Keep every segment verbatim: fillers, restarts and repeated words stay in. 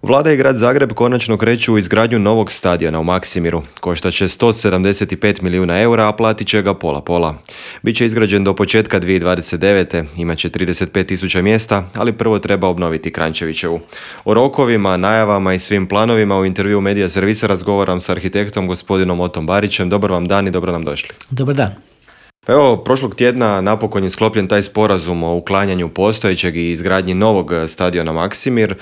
Vlada i grad Zagreb konačno kreću u izgradnju novog stadiona u Maksimiru. Koštat će sto sedamdeset pet milijuna eura, a platit će ga pola-pola. Biće izgrađen do početka dvije tisuće dvadeset devete. Imaće trideset pet tisuća mjesta, ali prvo treba obnoviti Kranjčevićevu. O rokovima, najavama i svim planovima u intervju Medija Servisa razgovaram s arhitektom gospodinom Otom Barićem. Dobar vam dan i dobro nam došli. Dobar dan. Pa evo, prošlog tjedna napokon je sklopljen taj sporazum o uklanjanju postojećeg i izgradnji novog stadiona Maksimir.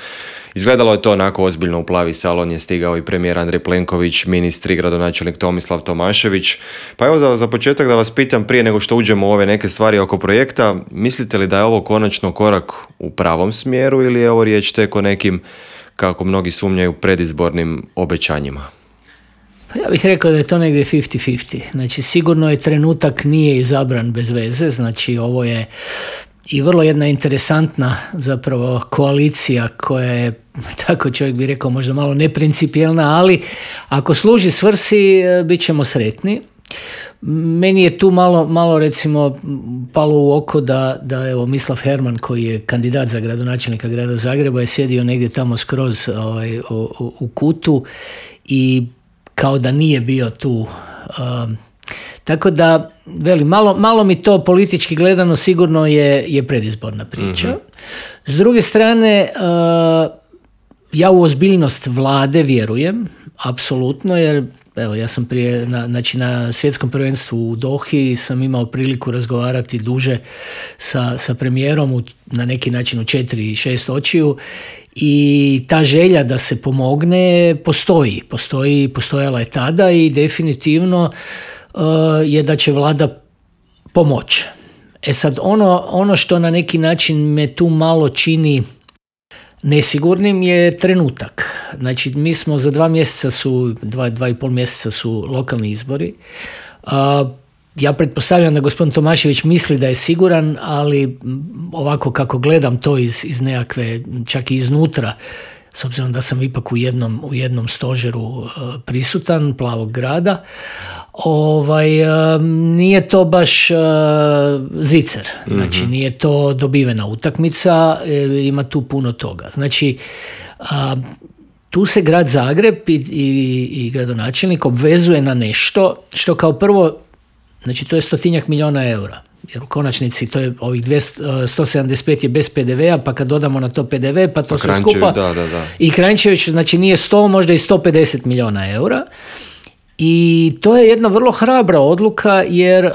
Izgledalo je to onako ozbiljno, u plavi salon je stigao i premijer Andrej Plenković, ministri, gradonačelnik Tomislav Tomašević. Pa evo za, za početak da vas pitam, prije nego što uđemo u ove neke stvari oko projekta, mislite li da je ovo konačno korak u pravom smjeru ili je ovo riječ tek o nekim, kako mnogi sumnjaju, predizbornim obećanjima? Pa ja bih rekao da je to negdje fifty fifty. Znači sigurno je trenutak nije izabran bez veze, znači ovo je i vrlo jedna interesantna zapravo koalicija koja je, tako čovjek bi rekao, možda malo neprincipijelna, ali ako služi svrsi bit ćemo sretni. Meni je tu malo, malo recimo palo u oko da, da evo Mislav Herman koji je kandidat za gradonačelnika grada Zagreba je sjedio negdje tamo skroz ovaj, u, u, u kutu i kao da nije bio tu. Um, tako da, veli, malo, malo mi to politički gledano sigurno je, je predizborna priča. Mm-hmm. S druge strane, uh, ja u ozbiljnost vlade vjerujem, apsolutno, jer evo, ja sam prije, na, znači na svjetskom prvenstvu u Dohi sam imao priliku razgovarati duže sa, sa premijerom u, na neki način u četiri, šest očiju i ta želja da se pomogne postoji, postoji, postojala je tada i definitivno uh, je da će vlada pomoći. E sad, ono, ono što na neki način me tu malo čini nesigurnim je trenutak. Znači, mi smo za dva mjeseca su, dva, dva i pol mjeseca su lokalni izbori. Uh, ja pretpostavljam da gospodin Tomašević misli da je siguran, ali ovako kako gledam to iz, iz nekakve, čak i iznutra, s obzirom da sam ipak u jednom, u jednom stožeru uh, prisutan, Plavog grada, ovaj, uh, nije to baš uh, zicer, znači mm-hmm. nije to dobivena utakmica, e, ima tu puno toga. Znači, uh, tu se grad Zagreb i, i, i gradonačelnik obvezuje na nešto što kao prvo, znači to je stotinjak milijuna eura. Jer u konačnici to je ovih dvjesto, sto sedamdeset pet je bez P D V a, pa kad dodamo na to P D V, pa to pa sve skupa. Da, da, da. I Kranjčević, znači nije sto, možda i sto pedeset milijuna eura. I to je jedna vrlo hrabra odluka, jer uh,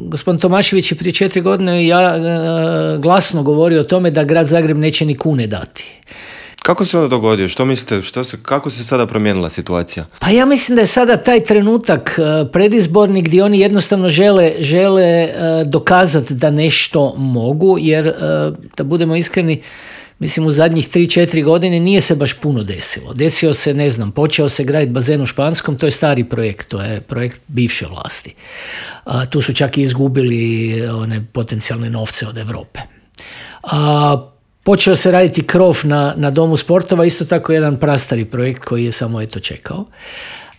gospodin Tomašević je prije četiri godine ja, uh, glasno govorio o tome da grad Zagreb neće ni kune dati. Kako se onda dogodio? Što mislite? Što se, kako se sada promijenila situacija? Pa ja mislim da je sada taj trenutak uh, predizborni gdje oni jednostavno žele, žele uh, dokazati da nešto mogu, jer uh, da budemo iskreni, mislim u zadnjih tri četiri godine nije se baš puno desilo. Desio se, ne znam, počeo se graditi bazen u Španskom, to je stari projekt, to je projekt bivše vlasti. A, tu su čak i izgubili one potencijalne novce od Europe. A, počeo se raditi krov na, na Domu sportova, isto tako jedan prastari projekt koji je samo eto čekao.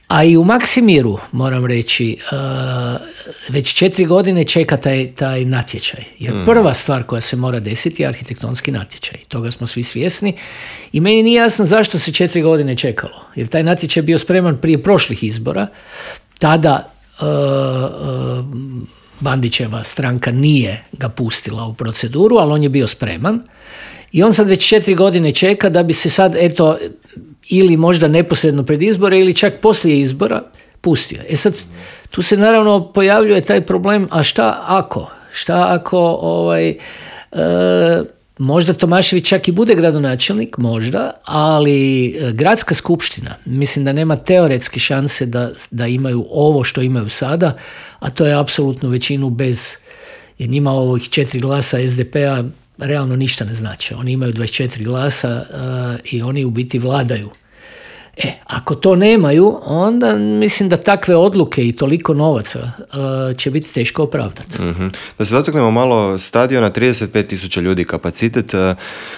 A i u Maksimiru, moram reći, uh, već četiri godine čeka taj, taj natječaj. Jer mm. prva stvar koja se mora desiti je arhitektonski natječaj. Toga smo svi svjesni. I meni nije jasno zašto se četiri godine čekalo. Jer taj natječaj je bio spreman prije prošlih izbora. Tada uh, uh, Bandićeva stranka nije ga pustila u proceduru, ali on je bio spreman. I on sad već četiri godine čeka da bi se sad, eto, ili možda neposredno pred izbore ili čak poslije izbora pustio. E sad, tu se naravno pojavljuje taj problem, a šta ako? Šta ako ovaj, e, možda Tomašević čak i bude gradonačelnik, možda, ali gradska skupština, mislim da nema teoretske šanse da, da imaju ovo što imaju sada, a to je apsolutnu većinu bez, jer njima ovih četiri glasa S D P-a realno ništa ne znači. Oni imaju dvadeset četiri glasa uh, i oni u biti vladaju. E, ako to nemaju, onda mislim da takve odluke i toliko novaca uh, će biti teško opravdati. Mm-hmm. Da se dotaknemo malo stadiona, trideset pet tisuća ljudi kapacitet, uh,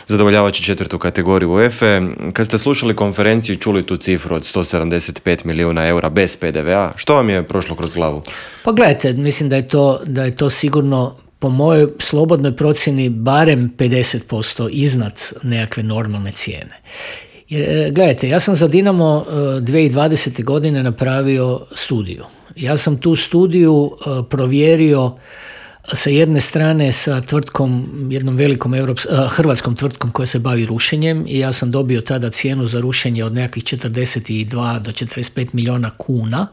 zadovoljavajući četvrtu kategoriju UEFA. Kad ste slušali konferenciju, čuli tu cifru od sto sedamdeset pet milijuna eura bez P D V a, što vam je prošlo kroz glavu? Pa gledajte, mislim da je to, da je to sigurno po mojoj slobodnoj procjeni barem pedeset posto iznad nekakve normalne cijene. Jer, gledajte, ja sam za Dinamo dvije tisuće dvadesete. godine napravio studiju. Ja sam tu studiju provjerio sa jedne strane sa tvrtkom, jednom velikom Europs, hrvatskom tvrtkom koja se bavi rušenjem i ja sam dobio tada cijenu za rušenje od nekakvih četrdeset dva do četrdeset pet milijuna kuna,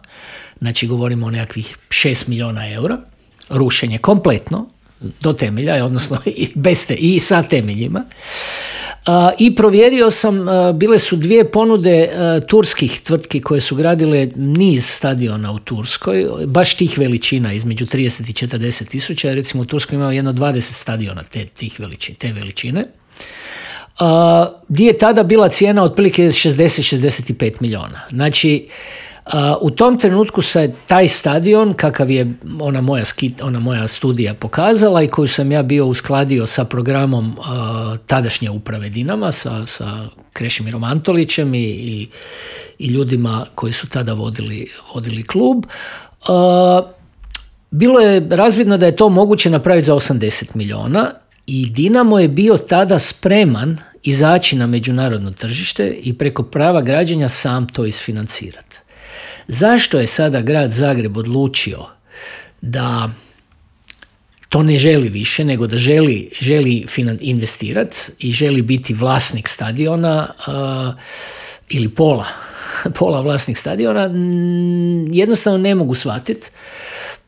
znači govorimo o nekakvih šest milijuna eura, rušenje kompletno, do temelja, odnosno i, bez te, i sa temeljima. Uh, I provjerio sam, uh, bile su dvije ponude uh, turskih tvrtki koje su gradile niz stadiona u Turskoj, baš tih veličina, između trideset i četrdeset tisuća, recimo u Turskoj imao jedno dvadeset stadiona te, tih veličine, te veličine. Uh, gdje je tada bila cijena otprilike šezdeset do šezdeset pet milijuna. Znači, Uh, u tom trenutku se taj stadion, kakav je ona moja, skit, ona moja studija pokazala i koju sam ja bio uskladio sa programom uh, tadašnje uprave Dinama, sa, sa Krešimirom Antolićem i, i, i ljudima koji su tada vodili, vodili klub, uh, bilo je razvidno da je to moguće napraviti za osamdeset milijuna i Dinamo je bio tada spreman izaći na međunarodno tržište i preko prava građenja sam to isfinancirati. Zašto je sada grad Zagreb odlučio da to ne želi više, nego da želi, želi investirati i želi biti vlasnik stadiona uh, ili pola, pola vlasnik stadiona, jednostavno ne mogu shvatiti.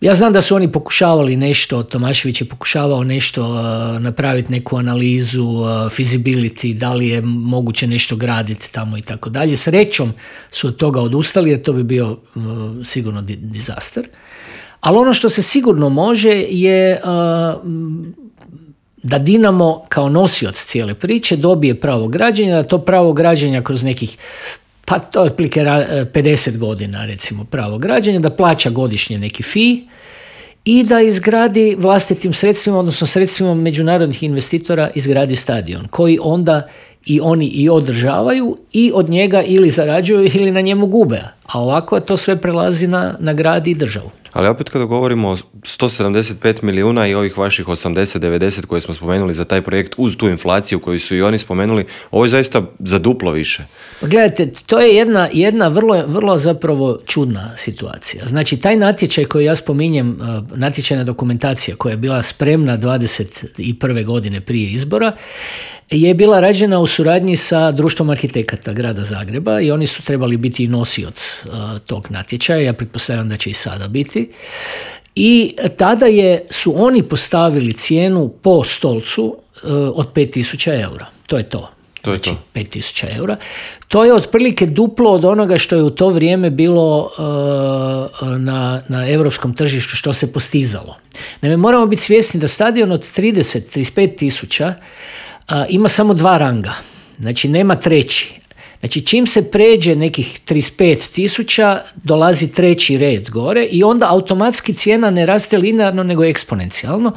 Ja znam da su oni pokušavali nešto, Tomašević je pokušavao nešto uh, napraviti, neku analizu, uh, feasibility, da li je moguće nešto graditi tamo i tako dalje. Srećom su od toga odustali jer to bi bio uh, sigurno di- disaster. Ali ono što se sigurno može je uh, da Dinamo kao nosioc cijele priče dobije pravo građenja, da to pravo građenja kroz nekih pa to je otprilike pedeset godina recimo pravo građenja, da plaća godišnje neki fee i da izgradi vlastitim sredstvima, odnosno sredstvima međunarodnih investitora izgradi stadion koji onda i oni i održavaju i od njega ili zarađuju ili na njemu gube. A ovako to sve prelazi na, na grad i državu. Ali opet kada govorimo o sto sedamdeset pet milijuna i ovih vaših osamdeset do devedeset koje smo spomenuli za taj projekt uz tu inflaciju koju su i oni spomenuli, ovo je zaista za duplo više. Gledajte, to je jedna, jedna vrlo, vrlo zapravo čudna situacija. Znači, taj natječaj koji ja spominjem, natječajna dokumentacija koja je bila spremna dvadeset prve godine prije izbora, je bila rađena u suradnji sa Društvom arhitekata grada Zagreba i oni su trebali biti nosioc uh, tog natječaja, ja pretpostavljam da će i sada biti. I tada je, su oni postavili cijenu po stolcu uh, od pet tisuća eura. To je to. To je znači, to. pet tisuća eura. To je otprilike duplo od onoga što je u to vrijeme bilo uh, na, na europskom tržištu, što se postizalo. Naime, moramo biti svjesni da stadion od trideset do trideset pet tisuća Uh, ima samo dva ranga, znači nema treći. Znači čim se pređe nekih trideset pet tisuća, dolazi treći red gore i onda automatski cijena ne raste linearno nego eksponencijalno,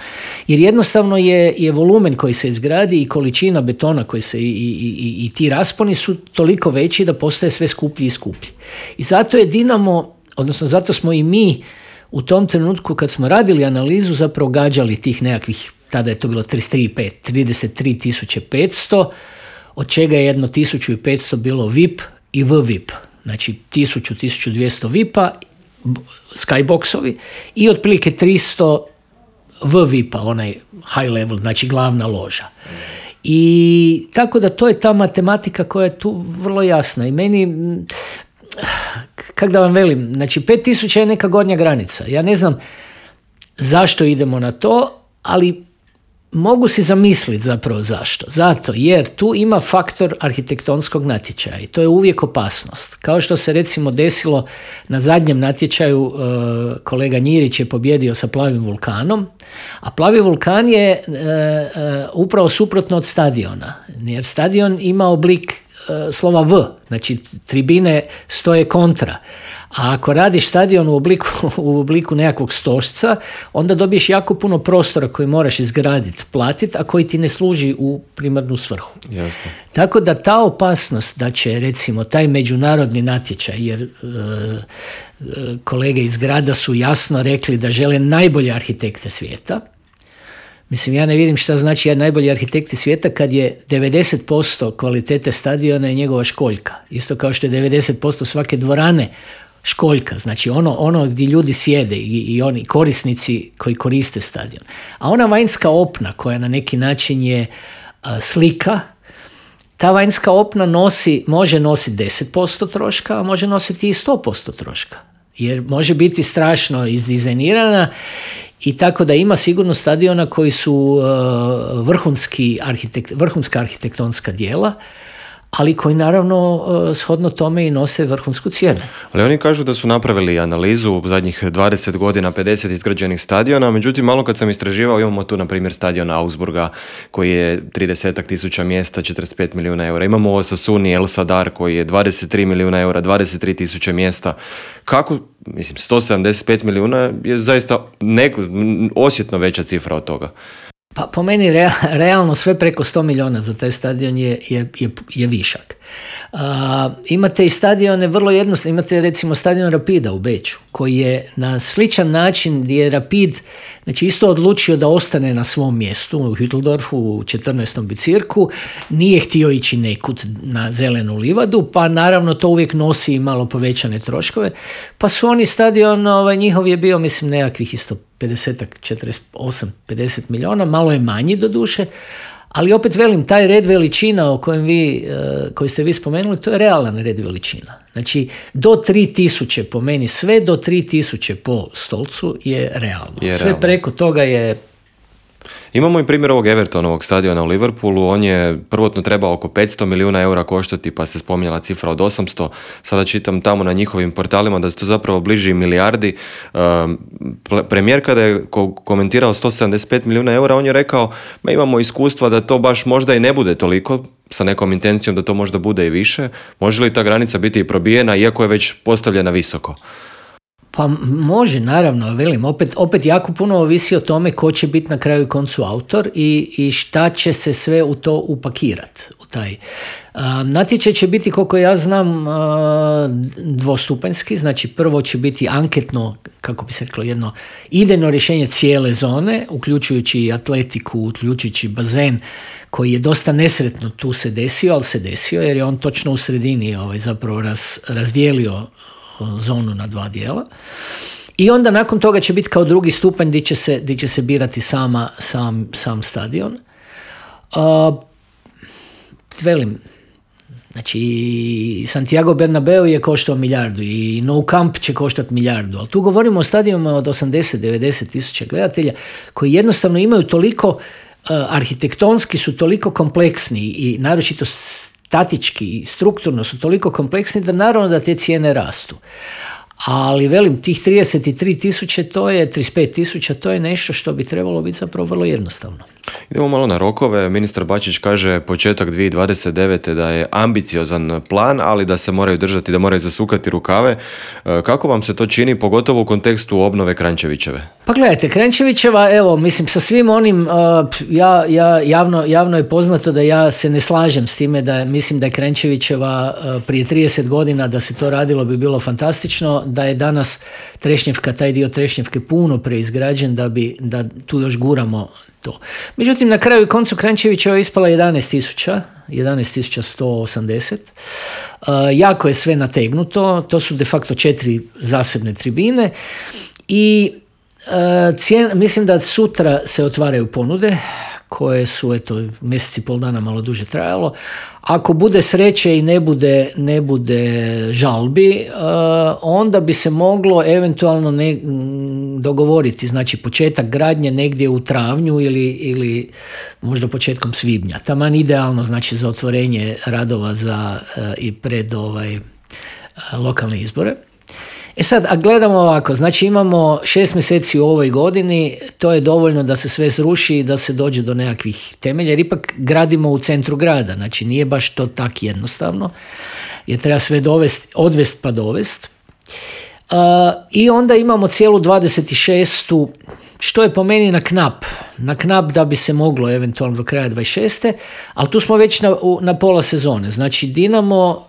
jer jednostavno je, je volumen koji se izgradi i količina betona koji se i, i, i, i ti rasponi su toliko veći da postaje sve skuplji i skuplji. I zato je Dinamo, odnosno zato smo i mi u tom trenutku kad smo radili analizu zapravo gađali tih nekakvih, tada je to bilo trideset tri tisuće petsto, od čega je jedno tisuću petsto bilo V I P i V V I P. Znači tisuću do tisuću dvjesto V I P-a, skyboxovi i otprilike tristo V V I P-a, onaj high level, znači glavna loža. I tako da to je ta matematika koja je tu vrlo jasna i meni, kak da vam velim, znači pet tisuća je neka gornja granica. Ja ne znam zašto idemo na to, ali mogu si zamisliti zapravo zašto. Zato jer tu ima faktor arhitektonskog natječaja i to je uvijek opasnost. Kao što se recimo desilo na zadnjem natječaju, kolega Njirić je pobjedio sa Plavim vulkanom, a Plavi vulkan je upravo suprotno od stadiona, jer stadion ima oblik slova V, znači tribine stoje kontra. A ako radiš stadion u obliku, u obliku nekakvog stožca, onda dobiješ jako puno prostora koji moraš izgraditi, platiti, a koji ti ne služi u primarnu svrhu. Jasno. Tako da ta opasnost da će recimo taj međunarodni natječaj, jer e, kolege iz grada su jasno rekli da žele najbolje arhitekte svijeta, Mislim, ja ne vidim šta znači ja najbolji arhitekti svijeta kad je devedeset posto kvalitete stadiona je njegova školjka. Isto kao što je devedeset posto svake dvorane školjka, znači ono, ono gdje ljudi sjede i, i oni korisnici koji koriste stadion. A ona vanjska opna koja na neki način je a, slika, ta vanjska opna nosi, može nositi deset posto troška, a može nositi i sto posto troška. Jer može biti strašno izdizajnirana i tako da ima sigurno stadiona koji su uh, vrhunski arhitekt, vrhunska arhitektonska djela, ali koji naravno uh, shodno tome i nose vrhunsku cijenu. Ali oni kažu da su napravili analizu u zadnjih dvadeset godina, pedeset izgrađenih stadiona, međutim malo kad sam istraživao imamo tu na primjer stadion Augsburga koji je trideset tisuća mjesta, četrdeset pet milijuna eura. Imamo u Osasuni El Sadar koji je dvadeset tri milijuna eura, dvadeset tri tisuće mjesta. Kako, mislim, sto sedamdeset pet milijuna je zaista neko, osjetno veća cifra od toga. Pa po meni rea, realno sve preko sto milijuna za taj stadion je, je, je, je višak. Uh, imate i stadione vrlo jednostavno, imate recimo stadion Rapida u Beču koji je na sličan način gdje je Rapid znači isto odlučio da ostane na svom mjestu u Hütteldorfu u četrnaestom bicirku, nije htio ići nekud na zelenu livadu, pa naravno to uvijek nosi i malo povećane troškove, pa su oni stadion, ovaj, njihov je bio mislim nekakvih isto pedeset, četrdeset osam, pedeset milijuna, malo je manji do duše, ali opet velim, taj red veličina o kojem vi, koji ste vi spomenuli, to je realan red veličina. Znači, do tri tisuće po meni, sve do tri tisuće po stolcu je realno. Je sve realno. preko toga je... Imamo i primjer ovog Evertonovog stadiona u Liverpoolu, on je prvotno trebao oko petsto milijuna eura koštati, pa se spominjala cifra od osamsto, sada čitam tamo na njihovim portalima da se to zapravo bliži milijardi. Um, premijer kada je ko- komentirao sto sedamdeset pet milijuna eura, on je rekao, ma imamo iskustva da to baš možda i ne bude toliko, sa nekom intencijom da to možda bude i više. Može li ta granica biti i probijena, iako je već postavljena visoko? Pa može, naravno, velim, opet, opet jako puno ovisi o tome ko će biti na kraju koncu autor i, i šta će se sve u to upakirati. U taj. A, natječaj će biti, koliko ja znam, a, dvostupanjski, znači prvo će biti anketno, kako bi se reklo, jedno idejno rješenje cijele zone, uključujući i atletiku, uključujući bazen, koji je dosta nesretno tu se desio, ali se desio jer je on točno u sredini ovaj, zapravo raz, razdijelio zonu na dva dijela. I onda nakon toga će biti kao drugi stupanj gdje će se, gdje će se birati sama, sam, sam stadion. Uh, velim, znači Santiago Bernabeu je koštao milijardu i Nou Camp će koštati milijardu, ali tu govorimo o stadionima od osamdeset do devedeset tisuća gledatelja koji jednostavno imaju toliko, uh, arhitektonski su toliko kompleksni i naročito statički i strukturno su toliko kompleksni da naravno da te cijene rastu. Ali velim, tih trideset tri tisuće, to je trideset pet tisuća, to je nešto što bi trebalo biti zapravo vrlo jednostavno. Idemo malo na rokove. Ministar Bačić kaže početak dvije tisuće dvadeset devete da je ambiciozan plan, ali da se moraju držati, da moraju zasukati rukave. Kako vam se to čini, pogotovo u kontekstu obnove Kranjčevićeve? Pa gledajte, Kranjčevićeva, evo, mislim, sa svim onim, uh, ja, ja, javno, javno je poznato da ja se ne slažem s time da mislim da je Kranjčevićeva uh, prije trideset godina da se to radilo bi bilo fantastično, da je danas Trešnjevka, taj dio Trešnjevke puno preizgrađen da bi, da tu još guramo to. Međutim, na kraju i koncu Kranjčevićeva je ispala jedanaest tisuća, jedanaest tisuća sto osamdeset. Uh, jako je sve nategnuto, to su de facto četiri zasebne tribine i uh, cijen, mislim da sutra se otvaraju ponude koje su, eto, mjesec i pol dana malo duže trajalo. Ako bude sreće i ne bude, ne bude žalbi, uh, onda bi se moglo eventualno ne, dogovoriti, znači početak gradnje negdje u travnju ili, ili možda početkom svibnja. Taman idealno, znači, za otvorenje radova za, uh, i pred ovaj, uh, lokalne izbore. E sad, a gledamo ovako, znači imamo šest mjeseci u ovoj godini, to je dovoljno da se sve sruši i da se dođe do nekakvih temelja, jer ipak gradimo u centru grada, znači nije baš to tak jednostavno, jer treba sve dovesti, odvest pa dovest. Uh, I onda imamo cijelu dvadeset šestu što je po meni na knap, na knap da bi se moglo eventualno do kraja dvadeset šeste ali tu smo već na, u, na pola sezone, znači Dinamo.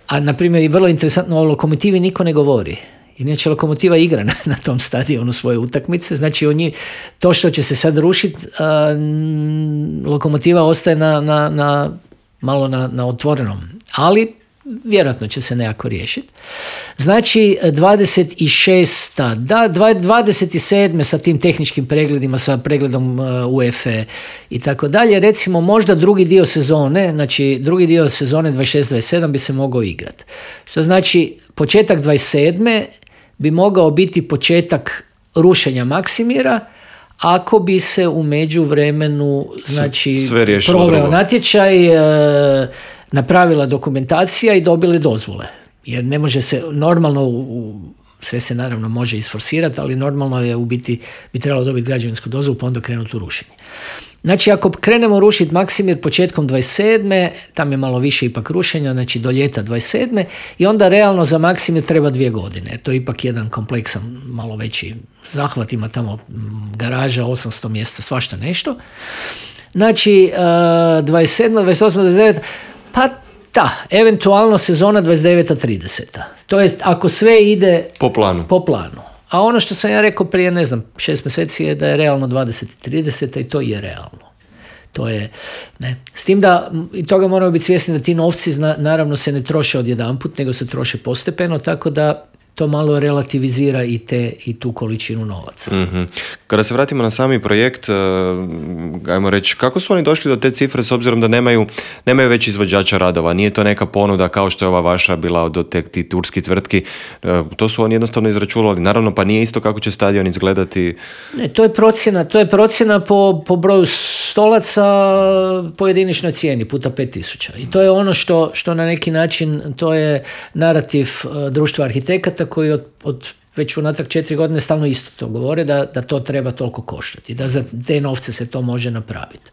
A, na primjer, i vrlo interesantno, o Lokomotivi niko ne govori. Inače Lokomotiva igra na, na tom stadionu svoje utakmice, znači oni, to što će se sad rušiti, Lokomotiva ostaje na, na, na, malo na, na otvorenom, ali vjerojatno će se nekako riješiti. Znači dvadeset šesta da, dvadeset sedma sa tim tehničkim pregledima, sa pregledom U E F A i tako dalje, recimo možda drugi dio sezone, znači drugi dio sezone dvadeset šest dvadeset sedam bi se mogao igrati. Što znači početak dvadeset sedme bi mogao biti početak rušenja Maksimira, ako bi se u međuvremenu znači proveo natječaj, napravila dokumentacija i dobili dozvole. Jer ne može se normalno, u, sve se naravno može isforsirati, ali normalno je u biti bi trebalo dobiti građevinsku dozvolu pa onda krenuti u rušenje. Znači ako krenemo rušiti Maksimir početkom dvadeset sedme tam je malo više ipak rušenja, znači do ljeta dvadeset sedme i onda realno za Maksimir treba dvije godine. To je ipak jedan kompleksan, malo veći zahvat, ima tamo garaža, osamsto mjesta, svašta nešto. Znači dvadeset sedma dvadeset osma dvadeset deveta pa da, eventualno sezona dvadeset deveta trideseta To jest ako sve ide po planu. po planu. A ono što sam ja rekao prije, ne znam, šest mjeseci je da je realno dvadeset trideseta i to je realno. To je, ne. S tim da, i toga moramo biti svjesni da ti novci zna, naravno se ne troše odjedanput, nego se troše postepeno, tako da to malo relativizira i, te, i tu količinu novaca. Mm-hmm. Kada se vratimo na sami projekt, ajmo reći, kako su oni došli do te cifre s obzirom da nemaju, nemaju već izvođača radova? Nije to neka ponuda kao što je ova vaša bila od te ti turski tvrtki? To su oni jednostavno izračunali. Naravno, pa nije isto kako će stadion izgledati. Ne, to je procjena, to je procjena po, po broju stolaca po jediničnoj cijeni puta pet tisuća. I to je ono što, što na neki način, to je narativ društva arhitekata koji od, od već unatrag četiri godine stalno isto to govore, da, da to treba toliko koštati, da za te novce se to može napraviti.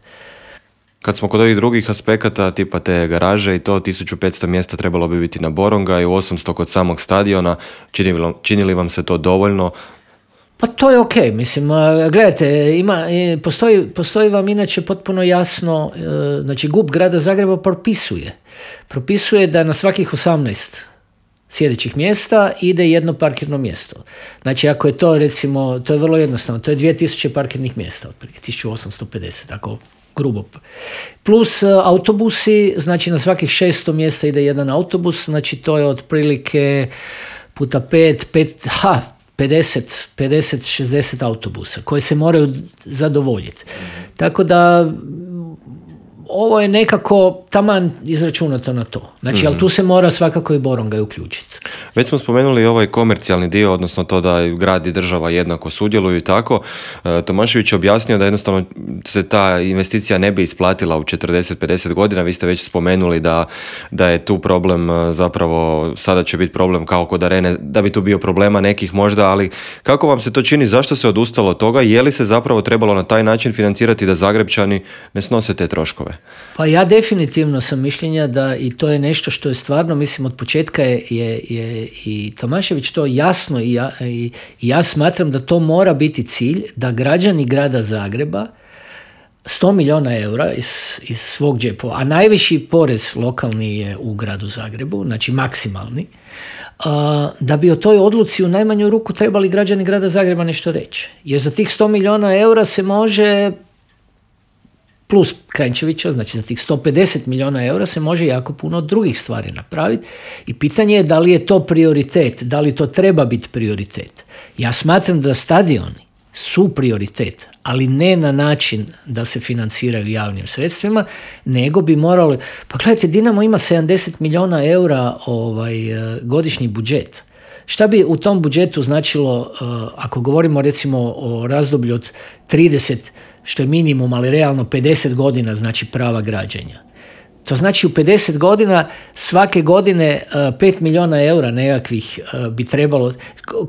Kad smo kod ovih drugih aspekata, tipa te garaže i to, tisuću petsto mjesta trebalo bi biti na Boronga i osamsto kod samog stadiona, čini, čini li vam se to dovoljno? Pa to je ok, mislim, gledajte, ima, postoji, postoji vam inače potpuno jasno, znači G U P grada Zagreba propisuje, propisuje da na svakih osamnaest sjedećih mjesta ide jedno parkirno mjesto. Znači ako je to recimo, to je vrlo jednostavno, to je dvije tisuće parkirnih mjesta, otprilike tisuću osamsto pedeset, tako grubo. Plus autobusi, znači na svakih šesto mjesta ide jedan autobus, znači to je otprilike puta pet, pet, ha, pedeset, pedeset, šezdeset autobusa koji se moraju zadovoljiti. Tako da ovo je nekako taman izračunato na to. Znači, mm-hmm. ali tu se mora svakako i Boronga uključiti. Već smo spomenuli ovaj komercijalni dio, odnosno to da grad i država jednako sudjeluju i tako. E, Tomašević je objasnio da jednostavno se ta investicija ne bi isplatila u četrdeset pedeset godina. Vi ste već spomenuli da, da je tu problem zapravo, sada će biti problem kao kod Arene, da bi tu bio problema nekih možda, ali kako vam se to čini, zašto se odustalo od toga? Je li se zapravo trebalo na taj način financirati da Zagrebčani ne snose te troškove? Pa ja definitivno sam mišljenja da i to je nešto što je stvarno, mislim, od početka je, je, je i Tomašević to jasno i ja, i, i ja smatram da to mora biti cilj, da građani grada Zagreba sto milijuna eura iz, iz svog džepova, a najviši porez lokalni je u gradu Zagrebu, znači maksimalni, a, da bi o toj odluci u najmanju ruku trebali građani grada Zagreba nešto reći. Jer za tih sto milijuna eura se može, plus Kranjčevića, znači za tih sto pedeset milijuna eura se može jako puno drugih stvari napraviti i pitanje je da li je to prioritet, da li to treba biti prioritet. Ja smatram da stadioni su prioritet, ali ne na način da se financiraju javnim sredstvima, nego bi morali, pa gledajte, Dinamo ima sedamdeset milijuna eura ovaj, godišnji budžet. Šta bi u tom budžetu značilo, ako govorimo recimo o razdoblju od trideset, što je minimum, ali realno pedeset godina, znači prava građenja. To znači u pedeset godina svake godine pet milijuna eura nekakvih bi trebalo,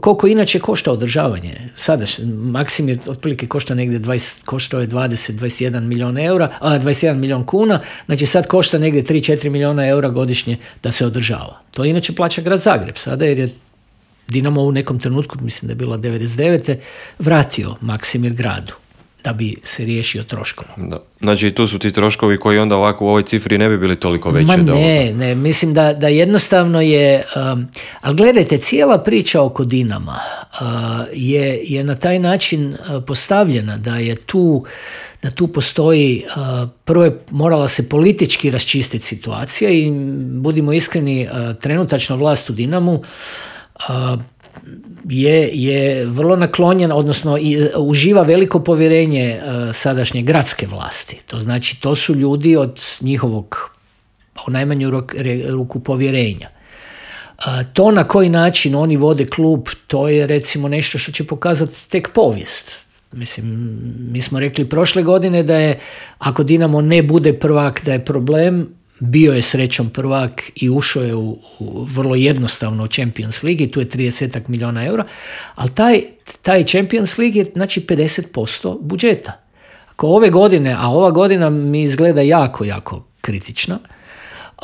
koliko inače košta održavanje. Sada Maksimir otprilike košta negdje dvadeset, koštao je dvadeset do dvadeset jedan milijuna eura, a dvadeset jedan milijun kuna, znači sad košta negdje tri do četiri milijuna eura godišnje da se održava. To inače plaća grad Zagreb sada, jer je Dinamo u nekom trenutku, mislim da je bila devedeset devete vratio Maksimir gradu. da bi se riješio troškova. Da. Znači tu su ti troškovi koji onda ovako u ovoj cifri ne bi bili toliko veći. Ma ne, ne, mislim da, da jednostavno je, um, ali gledajte, cijela priča oko Dinama uh, je, je na taj način uh, postavljena da je tu da tu postoji, uh, prvo je morala se politički raščistiti situacija i budimo iskreni, uh, trenutačna vlast u Dinamu uh, je, je vrlo naklonjena, odnosno i, uh, uživa veliko povjerenje uh, sadašnje gradske vlasti. To znači, to su ljudi od njihovog u najmanju ruku povjerenja. Uh, to na koji način oni vode klub, to je recimo nešto što će pokazati tek povijest. Mislim, mi smo rekli prošle godine da je, ako Dinamo ne bude prvak, da je problem. Bio je srećom prvak i ušao je u, u vrlo jednostavno u Champions League i tu je trideset milijuna eura, ali taj, taj Champions League je znači pedeset posto budžeta. Ako ove godine, a ova godina mi izgleda jako, jako kritična,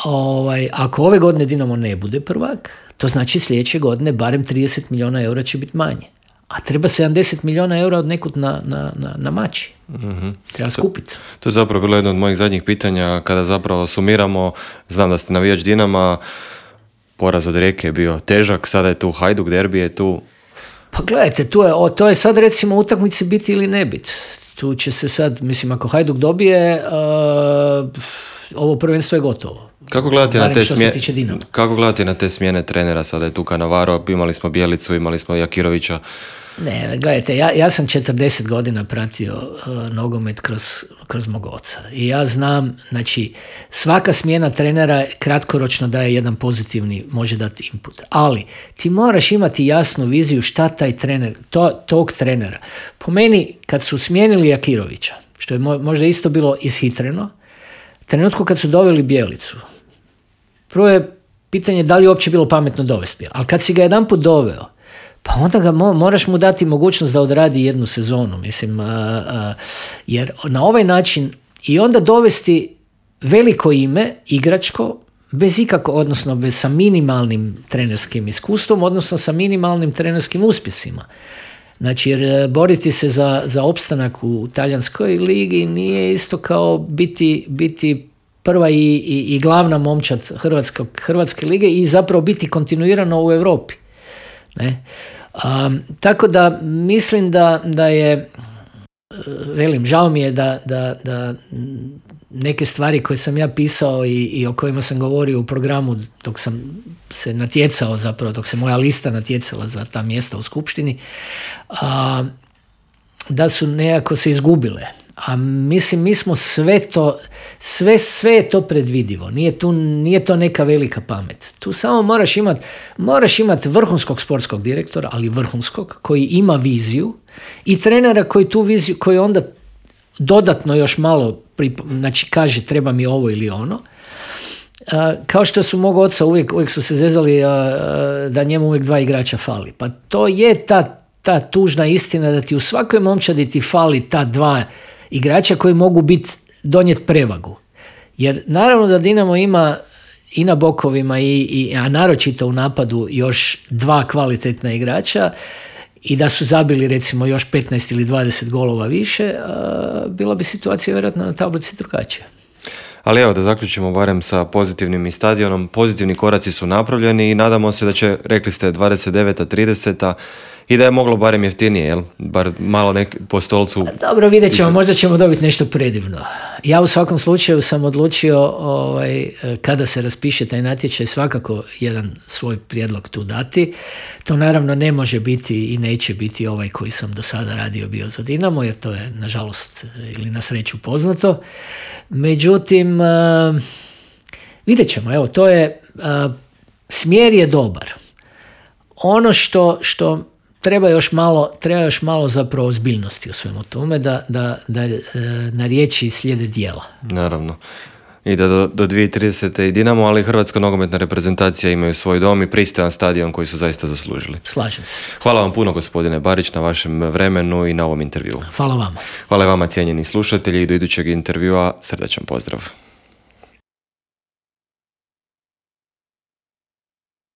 ovaj, ako ove godine Dinamo ne bude prvak, to znači sljedeće godine barem trideset milijuna eura će biti manje. A treba sedamdeset milijuna eura od nekud na, na, na, na mači. Mm-hmm. Treba skupiti. To, to je zapravo bilo jedno od mojih zadnjih pitanja. Kada zapravo sumiramo, znam da ste navijač Dinama, poraz od Rijeke je bio težak, sada je tu Hajduk, derbi je tu. Pa gledajte, tu je, o, to je sad recimo utakmice biti ili ne biti. Tu će se sad, mislim, ako Hajduk dobije, uh, ovo prvenstvo je gotovo. Kako gledate, na te smje... Kako gledate na te smjene trenera? Sada je tu Cannavaro, imali smo Bjelicu, imali smo Jakirovića. Ne, gledajte, ja, ja sam četrdeset godina pratio uh, nogomet kroz, kroz mog oca. I ja znam, znači, svaka smjena trenera kratkoročno daje jedan pozitivni, može dati input. Ali ti moraš imati jasnu viziju šta taj trener, to, tog trenera. Po meni, kad su smijenili Jakirovića, što je možda isto bilo ishitreno, trenutku kad su doveli Bjelicu, prvo je pitanje da li je uopće bilo pametno dovesti. Ali kad si ga jedanput doveo, pa onda ga mo- moraš mu dati mogućnost da odradi jednu sezonu. Mislim, a, a, jer na ovaj način i onda dovesti veliko ime, igračko, bez ikako, odnosno bez, sa minimalnim trenerskim iskustvom, odnosno sa minimalnim trenerskim uspjesima. Znači, jer boriti se za, za opstanak u talijanskoj ligi nije isto kao biti, biti prva i, i, i glavna momčad Hrvatske, Hrvatske lige i zapravo biti kontinuirano u Europi. Ne? Um, tako da mislim da, da je, velim, žao mi je da, da, da neke stvari koje sam ja pisao i, i o kojima sam govorio u programu dok sam se natjecao, zapravo dok se moja lista natjecala za ta mjesta u skupštini, a, da su nekako se izgubile. A mislim, mi smo sve to, sve, sve je to predvidivo. Nije, tu, nije to neka velika pamet. Tu samo moraš imati moraš imat vrhunskog sportskog direktora, ali vrhunskog, koji ima viziju i trenera koji tu viziju, koji onda dodatno još malo, znači kaže treba mi ovo ili ono. A, kao što su mog oca uvijek, uvijek su se zezali a, a, da njemu uvijek dva igrača fali. Pa to je ta, ta tužna istina da ti u svakoj momčadi ti fali ta dva igrača koji mogu biti donijeti prevagu. Jer naravno da Dinamo ima i na bokovima, i, i, a naročito u napadu još dva kvalitetna igrača i da su zabili recimo još petnaest ili dvadeset golova više, a, bila bi situacija vjerojatno na tablici drugačija. Ali evo da zaključimo barem sa pozitivnim i stadionom. Pozitivni koraci su napravljeni i nadamo se da će, rekli ste, dvadeset deveta trideseta i da je moglo barem jeftinije, jel? Bar malo nek po stolcu. Dobro, vidjet ćemo, možda ćemo dobiti nešto predivno. Ja u svakom slučaju sam odlučio ovaj, kada se raspiše taj natječaj svakako jedan svoj prijedlog tu dati. To naravno ne može biti i neće biti ovaj koji sam do sada radio bio za Dinamo, jer to je nažalost ili na sreću poznato. Međutim, uh, vidjet ćemo, evo, to je, uh, smjer je dobar. Ono što, što treba još malo, treba još malo zapravo ozbiljnosti u svemu tome, da, da, da uh, na riječi slijede djela. Naravno. I da do, do dvije tisuće tridesete i Dinamo, ali Hrvatska nogometna reprezentacija imaju svoj dom i pristojan stadion koji su zaista zaslužili. Slažem se. Hvala vam puno, gospodine Barić, na vašem vremenu i na ovom intervjuu. Hvala vama. Hvala vama, cijenjeni slušatelji, i do idućeg intervjua srdačan pozdrav.